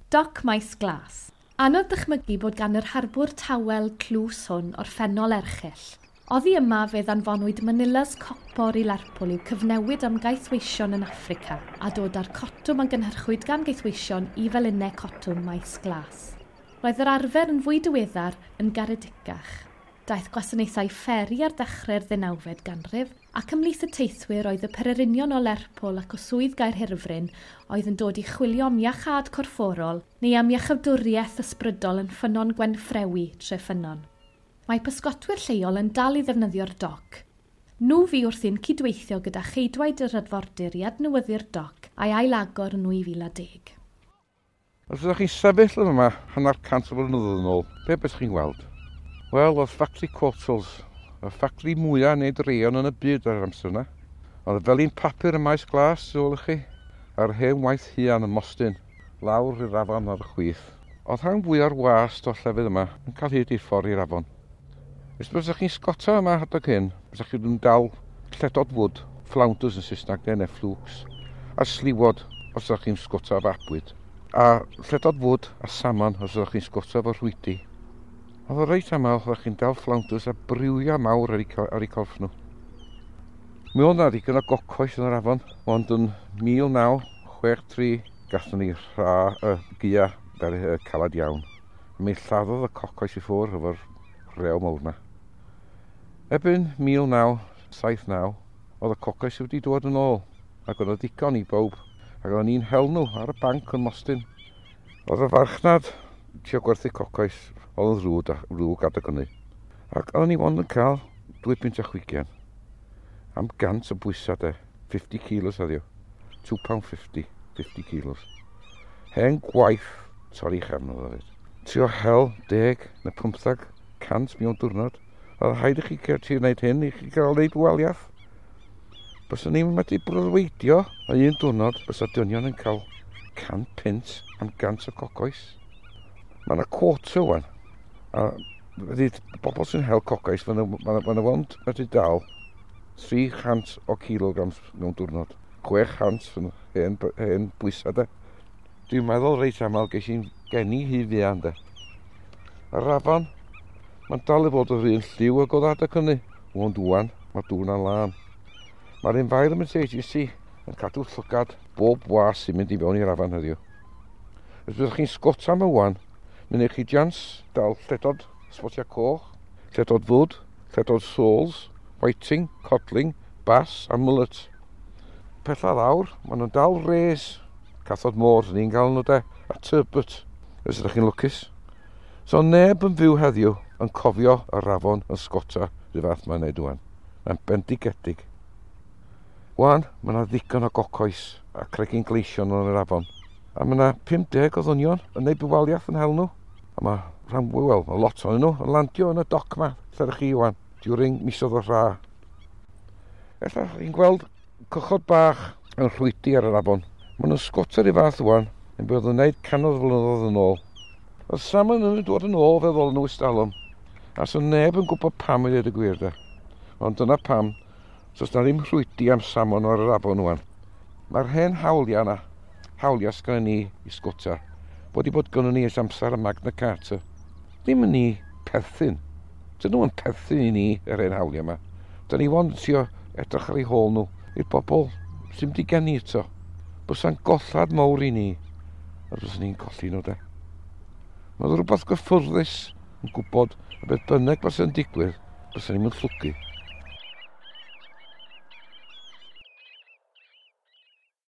Doc Maes Glas. Anodd dychmygu bod gan yr harbwr tawel tlws hwn orffennol erchyll. Oddi yma fe ddanfonwyd Manilas copor i Lerpwl i'w cyfnewid am gaethweision yn Affrica a dod â'r cotwm a gynhyrchwyd gan gaethweision i felinau cotwm Maes Glas. Roedd yr arfer yn fwy diweddar yn garedicach. Daeth gwasanaethau fferi ar ddechrau'r 19fed ganrif ac ymhlith y teithwyr oedd y pererinion o Lerpwl ac o swydd Gaerhirfryn oedd yn dod i chwilio am iachâd corfforol neu am iachawdwriaeth ysbrydol yn Ffynnon Gwenffrewi, Treffynnon. Mae pysgotwyr lleol yn dal i ddefnyddio'r doc. Nhw fu wrthi'n cydweithio gyda cheidwaid yr arfordir i adnewyddu'r doc a'i ailagor yn 2010. Os ydych chi'n sefyll yn yma hanner cant o flynyddoedd yn ôl, be beth chi'n gweld? Wel, oedd ffactri Courtaulds, y ffactri mwyaf wneud rayon yn y byd ar yr amser yna. Oedd y felin papur ym Maes Glas, ôl i chi, a'r hen waith huan ym Mostyn, lawr i'r afon ar y chwith. Oedd rhan fwya'r wast o'r llefydd yma yn cael hyd i'r ffordd i'r afon. Os bysach chi'n sgota yma adeg hyn, bysach chi'n dal lledod fwd, flounders yn Saesneg, neu flukes, a sliwod os ydych chi'n sgota efo abwyd. A lledod fwd a salmon os ydych chi'n sgota efo rhwydi. Oedd o reit aml, oeddech chi'n dal flounders a briwia mawr ar eu corff nhw. Mi oedd 'na ddigon o gocoes yn yr afon, ond yn 1963 gathon ni rha y gaea fel calad iawn. A mi lladdodd y cocoes i ffwrdd efo'r rhew mawr 'na. Erbyn 1979, oedd y cocoes wedi dod yn ôl, ac oedd o ddigon i bawb, ac oedden ni'n hel nhw ar y banc yn Mostyn. Oedd y farchnad trio gwerthu cocoes, oedd yn ddrwg, ddrwg adeg hynny. Ac oedden ni ond yn cael 2 punt a chwigian. Am 100 o bwysau de, 50 kilos heddiw. £2.50, 50 kilos. Hen gwaith torri chefn oedd o fyd. Trio hel 10 neu 15 cant mewn diwrnod. Oedd rhaid i chi trio wneud hyn i chi gael wneud waliaeth. Byswn ni'n medru breuddwydio o un diwrnod bysa dynion yn cael 100 punt am 100 o cocoes. Mae yna quota wan. A wedi bobl sy'n hel cocoes, mae yna ond medru dal 300 o kilograms mewn diwrnod. 600 yn hen bwysau de. Dwi'n meddwl reit aml ges i'n geni hy fuan de. Yr afon, mae'n dal i fod yr un lliw ag oedd adeg hynny. Ond wan, mae dŵr na'n lân. Mae'r Environment Agency yn cadw llygad bob was sy'n mynd i fewn i'r afon heddiw. Os byddwch chi'n sgota yma wan, mi wnewch chi jans dal lledod sbotiau coch, lledod fwd, lledod soles, whiting, codling, bass a mullet. Pella lawr, maen nhw'n dal rays, cathod môr, ni'n gael nhw de, a turbot, os ydych chi'n lwcus. So neb yn fyw heddiw yn cofio yr afon yn sgota rhyw fath mae'n neud wan. Mae'n bendigedig. Wan, mae yna ddigon o gocoes a cregyn gleision yn yr afon. A mae yna 50 o ddynion yn neud bywaliaeth yn hel nhw. A mae rhan fwy, wel, mae lot ohonyn nhw yn landio yn y doc ma, lle ydych chi wan, during misoedd o rha. Ella chi'n gweld cychod bach yn rhwydi ar yr afon. Maen nhw'n sgota rhyw fath wan, yn bod yn gwneud cannoedd o flynyddoedd yn ôl. Oedd salmon yn dod yn ôl fel ddol nhw ystalwm. A so neb yn gwybod pam i ddweud y gwir de. Ond dyna pam, so na ddim rhwydi am salmon ar yr afon wan. Mae'r hen hawliau yna, hawliau sgynnon ni i sgota, bod i bod gynnon ni ers amser y Magna Carta. Ddim yn ni perthyn. Dyn nhw'n perthyn i ni yr hen hawliau yma. Dyn ni ond trio edrych ar eu hôl nhw i'r bobl sy'n mynd i geni eto. Bysa'n gollad mawr i ni, a byswn ni'n colli nhw de. Mae rhywbeth gyffyrddus yn gwybod y beth bynnag bysa'n digwydd, bysa'n ni'n llwgu.